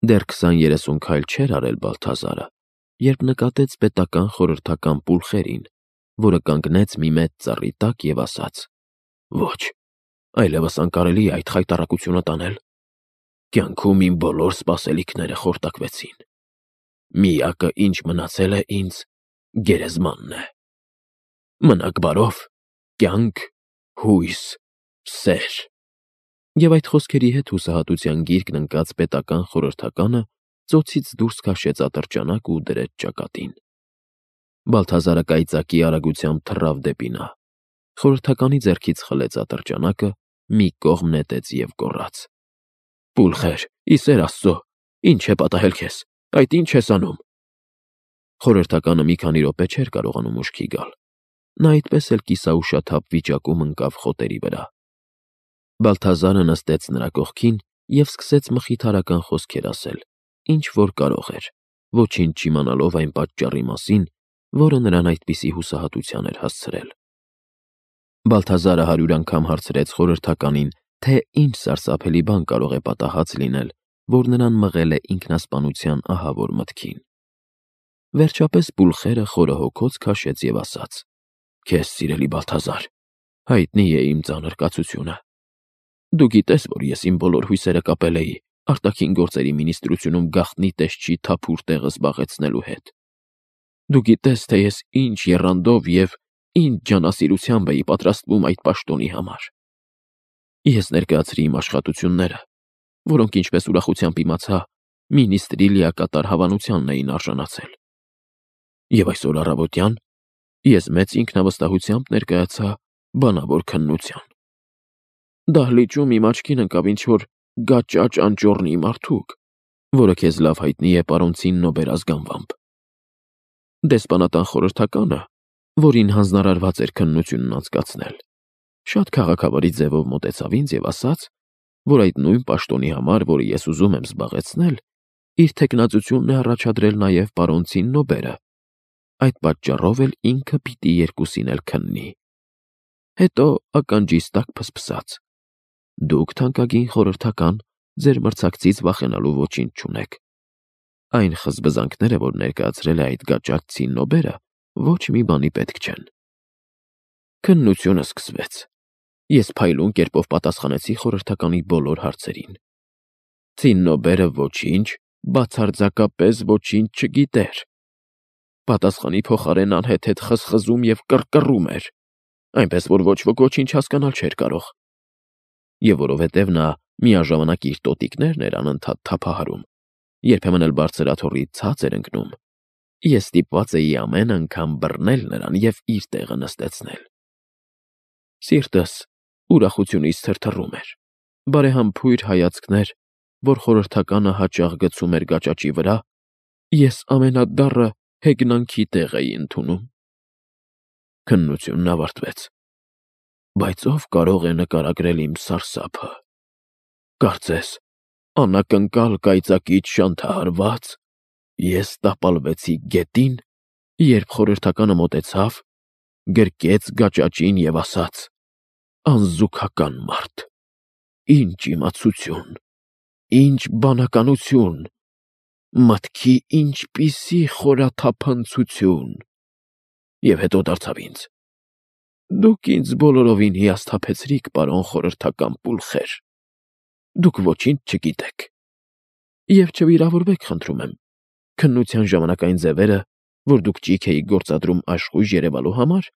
Դեռ 20-30 քայլ չէր արել Բալթազարը, երբ նկատեց պետական խորհրդական Պուլխերին, որը կանգնեց մի մեծ ծառի տակ և ասաց. «Ոչ, այլևս անկարելի է այդ խայտառակությունը տանել։ Կյանքում իմ բոլոր սպասելիքները խորտակվեցին։ Միակը, ինչ մնացել է ինձ, գերեզմանն է։ Մնաք բարով, կյանք, հույս, սեր»։ Եվ այդ խոսքերի հետ հուսահատության գիրկն ընկած պետական խորհրդականը ծոցից դուրս քաշեց ատրճանակ ու դրեց ճակատին։ Բալթազարը կայծակի արագությամբ թռավ դեպի նա։ Խորհրդականի ձեռքից խլեց ատրճանակը, մի կողմ նետեց և գոռաց. «Պուլխեր, ի սեր Աստծո, ինչ է պատահել քեզ, այդ ինչ ես անում»։ Խորհրդականը մի քանի րոպե չէր կարողանում ուշքի գալ։ Նա այդպես էլ կիսաուշաթափ վիճակում ընկավ խոտերի վրա։ Բալթազարը նստեց նրա կողքին և սկսեց մխիթարական խոսքեր ասել, ինչ որ կարող էր, ոչինչ չիմանալով այն պատճառի մասին, որը նրան այդպիսի հուսահատության էր հասցրել։ Բալթազարը 100 անգամ հարցրեց խորհրդականին, թե ինչ սարսափելի բան կարող է պատահած լինել, որ նրան մղել է ինքնասպանության ահավոր մտքին։ Վերջապես Պուլխերը խորը հոգոց քաշեց և ասաց. «Քեզ, սիրելի Բալթազար, հայտնի է իմ ծանր կացությունը։ Դու գիտես, որ ես իմ բոլոր հույսերը կապել էի արտաքին գործերի մինիստրությունում գաղտնի տեսչի թափուր տեղը զբաղեցնելու հետ։ Դու գիտես, թե ես ինչ եռանդով և ինչ ջանասիրությամբ էի պատրաստվում այդ պաշտոնի համար։ Ես ներկայացրի իմ աշխատությունները, որոնք, ինչպես ուրախությամբ իմացա, մինիստրի լիակատար հավանությանն էին արժանացել։ Եվ այսօր առավոտյան ես մեծ ինքնավստահությամբ ներկայացա բանավոր քննության։ Դահլիճում իմ աչքին ընկավ ինչ-որ գաճաճ անճոռնի մարդուկ, որը քեզ լավ հայտնի է պարոն Ցիննոբեր ազգանվամբ։ Դեսպանատան խորհրդականը, որին հանձնարարված էր քննությունն անցկացնել, շատ քաղաքավարի ձևով մոտեցավ ինձ և ասաց, որ այդ նույն պաշտոնի համար, որը ես ուզում եմ զբաղեցնել, իր թեկնածությունն է առաջադրել նաև պարոն Ցիննոբերը։ Այդ պատճառով էլ ինքը պիտի երկուսին էլ քննի։ Հետո ականջիս տակ փսփսաց. «Դուք, թանկագին խորհրդական, ձեր մրցակցից վախենալու ոչինչ չունեք։ Այն խզբզանքները, որ ներկայացրել է այդ գաճաճ Ցիննոբերը, ոչ մի բանի պետք չեն»։ Քննությունը սկսվեց։ Ես փայլուն կերպով պատասխանեցի խորհրդականի բոլոր հարցերին։ Ցիննոբերը ոչինչ, բացարձակապես ոչինչ չգիտեր։ Պատասխանի փոխարեն անհեթեթ խզխզում և կռկռում էր, այնպես որ ոչ ոք ոչինչ հասկանալ չէր կարող։ Եվ որովհետև նա միաժամանակ իր տոտիկներն էր անընդհատ թափահարում, երբեմն էլ բարձր աթոռից ցած էր ընկնում, ես ստիպված էի ամեն անգամ բռնել նրան և իր տեղը նստեցնել։ Սիրտս ուրախությունից թրթռում էր։ Բարեհամբույր հայացքներ, որ խորհրդականը հաճախ գցում էր գաճաճի վրա, ես ամենադառը հեգնանքի տեղ էի ընդունում։ Քննությունն ավարտվեց։ Բայց ով կարող է նկարագրել իմ սարսափը։ Կարծես, անակնկալ կայծակից շանթահարված, ես տապալվեցի գետին, երբ խորհրդականը մոտեցավ, գրկեց գաճաճին և ասաց. «Անզուգական մարդ, ինչ իմացություն, ինչ բանականություն, մտքի ինչպիսի խորաթափանցություն»։ Եվ հետո դարձավ ինձ. «Դուք ինձ բոլորովին հիասթափեցրիք, պարոն խորհրդական Պուլխեր։ Դուք ոչինչ չգիտեք։ Եվ չվիրավորվեք, խնդրում եմ, քննության ժամանակ այն ձևերը, որ դուք ճիգ էիք գործադրում աշխույժ երևալու համար,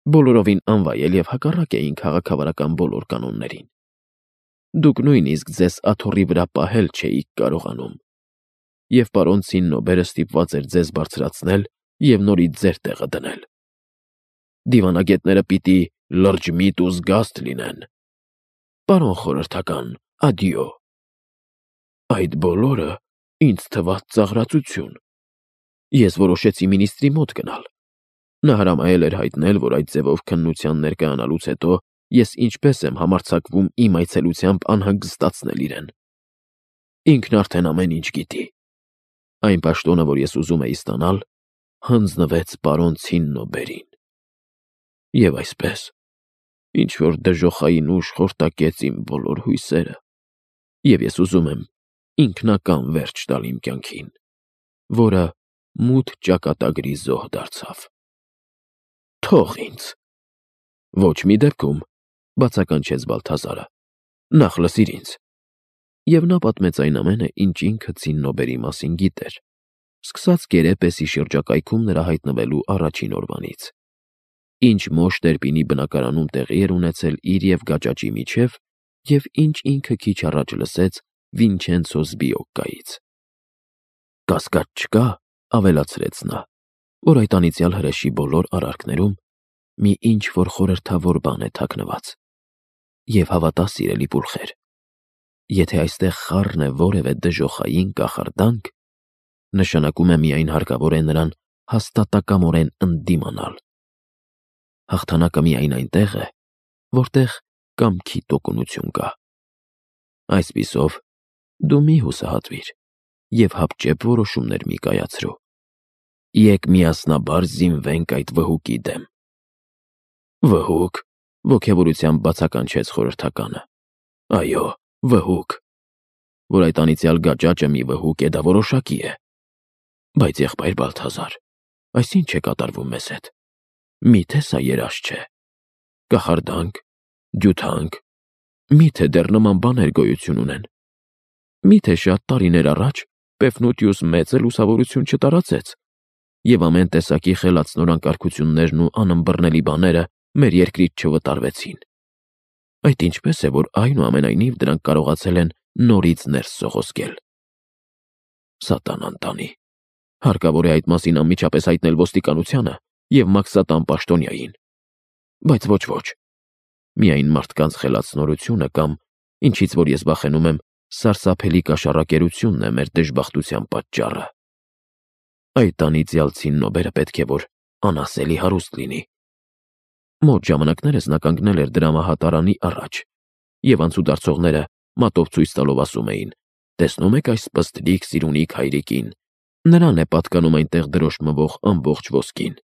բոլորովին անվայել և հակառակ էին քաղաքավարական բոլոր կանոններին։ Դուք նույնիսկ ձեզ աթոռի վրա պահել չէիք կարողանում։ Եվ պարոն Ցիննոբերը ստիպված էր ձեզ բարձրացնել և նորից ձեր տեղը դնել։ Դիվանագետները պիտի լրջմիտ ու զգաստ լինեն։ Պարոն խորհրդական, ադյո»։ Այդ բոլորը ինձ թվաց ծաղրածություն։ Ես որոշեցի մինիստրի մոտ գնալ։ Նա հրամայել էր հայտնել, որ այդ ձևով քննության ներկայանալուց հետո ես ինչպես եմ համարձակվում իմ այցելությամբ անհանգստացնել իրեն։ Ինքն արդեն ամեն ինչ գիտի։ Այն պաշտոնը, որ ես ուզում էի ստանալ, հանձնվեց պարոն Ցիննոբերին։ Եվ այսպես, ինչ-որ դժոխային ուժ խորտակեց իմ բոլոր հույսերը, և ես ուզում եմ, ինքնական վերջ տալ իմ կյանքին, որը մութ ճակատագրի զոհ դարձավ։ Թող ինձ։ Ոչ մի դեպքում, բացականչեց Բալթազարը, նախ լսիր ինձ։ Եվ նա պատմեց այն ամենը, ինչ ինքը Ցիննոբերի մասին գիտեր, սկսած Կերեպեսի շրջակայքում նրա հայտնվելու առաջին օրվանից, ինչ Մոշ Տերպինի բնակարանում տեղի էր ունեցել իր և Գաճաճի միջև, և ինչ ինքը քիչ առաջ լսեց Վինչենցո Զբիոկկայից։ Կասկած չկա, ավելացրեց նա, որ այդ անիծյալ հրեշի բոլոր արարքներում մի ինչ-որ խորհրդավոր բան է թաքնված։ Եվ հավատա, սիրելի պուլխեր, եթե այստեղ խառն է որևէ դժոխային կախարդանք, նշանակում է միայն հարկավոր է նրան հաստատակամորեն ընդդիմանալ։ Հաղթանակը միայն այնտեղ է, որտեղ կամքի տոկունություն կա։ Այսպիսով, դու մի հուսահատվիր և հապճեպ որոշումներ մի կայացրու։ Եկ միասնաբար զինվենք այդ վհուկի դեմ։ Վհուկ, ոգևորությամբ բացականչեց խորհրդականը։ Այո, վհուկ։ Որ այդ անիծյալ Գաճաճը մի վհուկ է, դա որոշակի է։ Բայց եղբայր Բալթազար, այս ինչ է կատարվում մեզ հետ։ Միթե սա երազ չէ։ Կախարդանք, ջութանք, միթե դեռ նման բաներ գոյություն ունեն։ Միթե շատ տարիներ առաջ Պեֆնուտիուս մեծը լուսավորություն չտարածեց, և ամեն տեսակի խելացնորանկարգություններն ու անըմբռնելի բաները մեր երկրից չվտարվեցին։ Այդ ինչպես է, որ այնուամենայնիվ դրանք կարողացել են նորից ներս սողոսկել։ Սատանան տանի։ Հարկավոր է այդ մասին անմիջապես հայտնել ոստիկանությանը և Մաքսատան պաշտոնյային։ Բայց ոչ, միայն մարդկանց խելացնորությունը կամ, ինչից որ ես վախենում եմ, սարսափելի կաշառակերությունն է մեր դժբախտության պատճառը։ Այդ անիծյալ Ցիննոբերը պետք է որ անասելի հարուստ լինի։ Մոտ ժամանակներս նա կանգնել էր դրամահատարանի առաջ, և անցուդարձողները մատով ցույց տալով ասում էին. «Տեսնում եք այս պստլիկ սիրունիկ հայրիկին, նրան է պատկանում այնտեղ դրոշ մվող ամբողջ ոսկին»։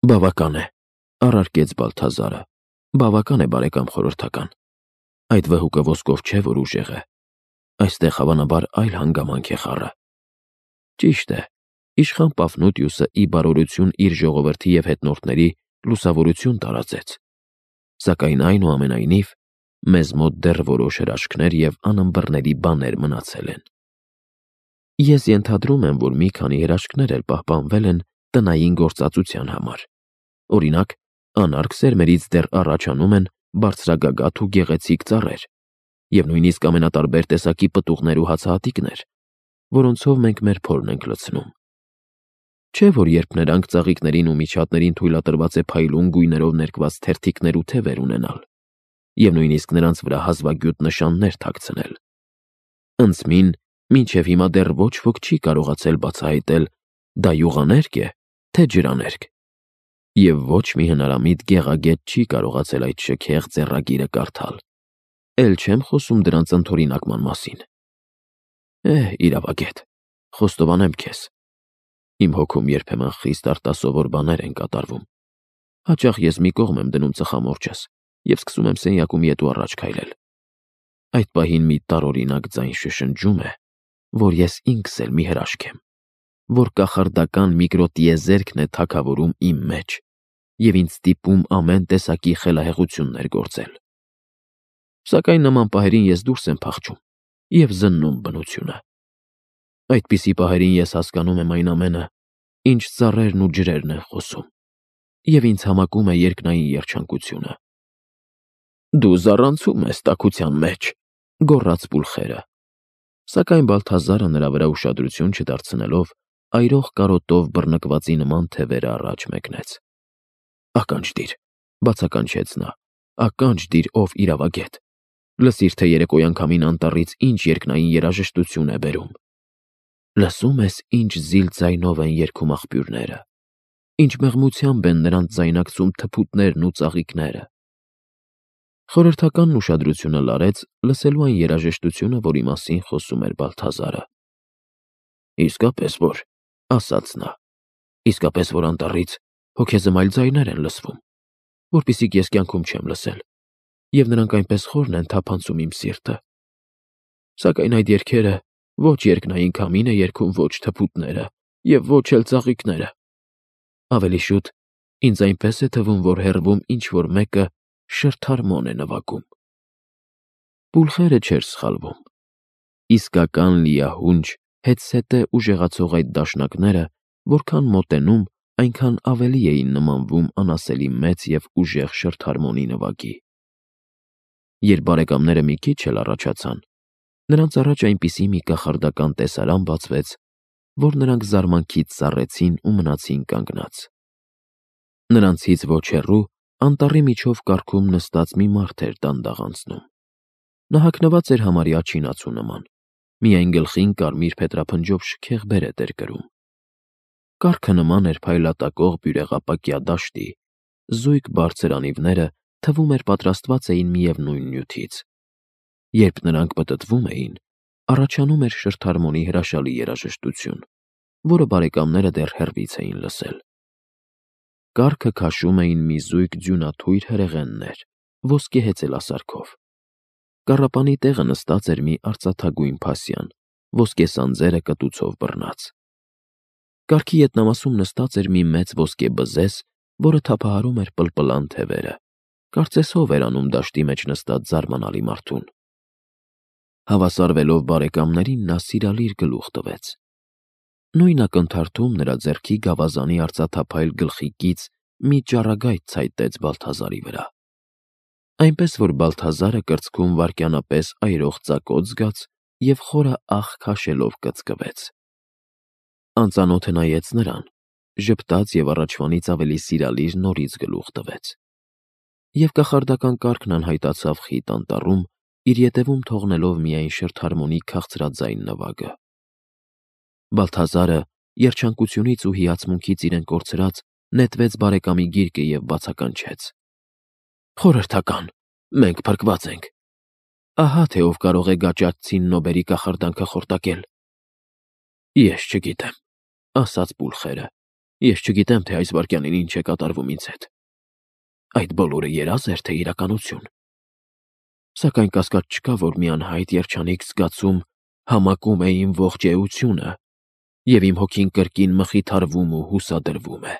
Բավական է, առարկեց Բալթազարը, բավական է, բարեկամ խորհրդական։ Այդ վհուկը ոսկով չէ, որ ուժեղ է։ Այստեղ հավանաբար այլ հանգամանք է խառը։ Ճիշտ է, իշխան Պաֆնուտիուսը ի բարօրություն իր ժողովրդի և հետնորդների լուսավորություն տարածեց, սակայն այնուամենայնիվ մեզ մոտ դեռ որոշ հրաշքներ և անըմբռնելի բաներ մնացել են։ Ես ենթադրում եմ, որ մի քանի հրաշքներ էլ պահպանվել են տնային գործածության համար։ Օրինակ, անարգ սերմերից դեռ առաջանում են բարձրագագաթ ու գեղեցիկ ծառեր, և նույնիսկ ամենատարբեր տեսակի պտուղներ ու հացահատիկներ, որոնցով մենք մեր փորն ենք լցնում։ Չէ՞ որ երբ նրանք ծաղիկներին ու միջատներին թույլատրված է փայլուն գույներով ներկված թերթիկներ ու թևեր ունենալ, և նույնիսկ նրանց վրա հազվագյուտ նշաններ թաքցնել։ Ընծմին մինչև հիմա դեռ ոչ ոք չի կարողացել բացահայտել դա յուղաներկ է, թե ջրաներկ, և ոչ մի հնարամիտ գեղագետ չի կարողացել այդ շքեղ ձեռագիրը կարդալ, էլ չեմ խոսում դրանց ընդօրինակման մասին։ Իրավագետ, խոստովանեմ քեզ, իմ հոգում երբեմն խիստ արտասովոր բաներ են կատարվում։ Հաճախ ես մի կողմ եմ դնում ծխամորճս և սկսում եմ սենյակում ետ ու առաջ քայլել։ Այդ պահին մի տարօրինակ ձայն շշնջում է, որ ես ինքս էլ մի հրաշք եմ, որ կախարդական միկրոտիեզերքն է թագավորում իմ մեջ և ինձ ստիպում ամեն տեսակի խելահեղություններ գործել։ Սակայն նման պահերին ես դուրս եմ փախչում և զննում բնությունը։ Այդպիսի պահերին ես հասկանում եմ այն ամենը, ինչ ծառերն ու ջրերն են խոսում, և ինձ համակում է երկնային երջանկությունը։ Դու զառանցում ես տաքության մեջ, գոռաց Պուլխերը, սակայն Բալթազարը նրա վրա ուշադրություն չդարձնելով, այրող կարոտով բռնկվածի նման թևերը առաջ մեկնեց։ Ականջ դիր, բացականչեց նա, ականջ դիր, ով իրավագետ, լսիր, թե երեկոյան քամին անտառից ինչ երկնային երաժշտություն է բերում։ Լսում ես, ինչ զիլ ձայնով են երգում աղբյուրները, ինչ մեղմությամբ են նրանց ձայնակցում թփուտներն ու ծաղիկները։ Խորհրդականն ուշադրությունը լարեց լսելու այն երաժշտությունը, որի մասին խոսում էր Բալթազարը։ Իսկապես որ, ասաց նա, իսկապես որ անտառից հոգեզմայլ ձայներ են լսվում, որպիսիք ես կյանքում չեմ լսել, և նրանք այնպես խորն են թափանցում իմ սիրտը։ Սակայն այդ երգերը ոչ երկնային քամին է երգում, ոչ թփուտները և ոչ էլ ծաղիկները։ Ավելի շուտ ինձ այնպես է թվում, որ հեռվում ինչ-որ մեկը շրթարմոն է նվագում։ Պուլխերը չէր սխալվում։ Իսկական լիահունչ, հետզհետե ուժեղացող այդ դաշնակները, որքան մոտենում, այնքան ավելի էին նմանվում անասելի մեծ և ուժեղ շրթարմոնի նվագի։ Երբ բարեկամները մի քիչ էլ առաջացան, նրանց առաջ այնպիսի մի կախարդական տեսարան բացվեց, որ նրանք զարմանքից սառեցին ու մնացին կանգնած։ Նրանցից ոչ հեռու անտառի միջով կառքում նստած մի մարդ էր դանդաղ անցնում։ Նա հագնված էր համարյա չինացու նման, միայն գլխին կարմիր փետրափնջով շքեղ բերետ էր կրում։ Կառքը նման էր փայլատակող բյուրեղապակյա դաշտի, զույգ բարձր անիվները թվում էր պատրաստված էին միևնույն նյութից։ Երբ նրանք պտտվում էին, առաջանում էր շրթարմոնի հրաշալի երաժշտություն, որը բարեկամները դեռ հեռվից էին լսել։ Կառքը քաշում էին մի զույգ ձյունաթույր հրեղեններ, ոսկե հեծելասարքով։ Կառապանի տեղը նստած էր մի արծաթագույն փասյան, ոսկե սանձերը կտուցով բռնած։ Կառքի ետնամասում նստած էր մի մեծ ոսկե բզեզ, որը թափահարում էր պլպլան թևերը, կարծես հով էր անում դաշտի մեջ նստած զարմանալի մարդուն։ Հավասարվելով բարեկամներին, նա սիրալիր գլուխ տվեց։ Նույն ակնթարթում նրա ձեռքի գավազանի արծաթափայլ գլխիկից մի ճառագայթ ցայտեց Բալթազարի վրա, այնպես որ Բալթազարը կրծքում վայրկյանապես այրող ծակոտ զգաց և խորը ահ քաշելով կծկվեց։ Անծանոթը նայեց նրան, ժպտաց և առաջվանից ավելի սիրալիր նորից գլուխ տվեց։ Եվ կախարդական կառքն անհայտացավ խիտ անտառում, իր ետևում թողնելով միայն շրթարմոնի քաղցրաձայն նվագը։ Բալթազարը, երջանկությունից ու հիացմունքից իրեն կորցրած, նետվեց բարեկամի գիրկը և բացականչեց. «Խորհրդական, մենք փրկված ենք։ Ահա թե ով կարող է գաճաճցին Նոբերի կախարդանքը խորտակել»։ «Ես չգիտեմ», ասաց Պուլխերը, «ես չգիտեմ, թե այս վայրկյանին ինչ է կատարվում ինձ հետ։ Այդ բոլորը երազ էր, թե իրականություն։ Սակայն կասկած չկա, որ մի անհայտ երջանիկ զգացում համակում է իմ ողջ էությունը, և իմ հոգին կրկին մխիթարվում ու հուսադրվում է»։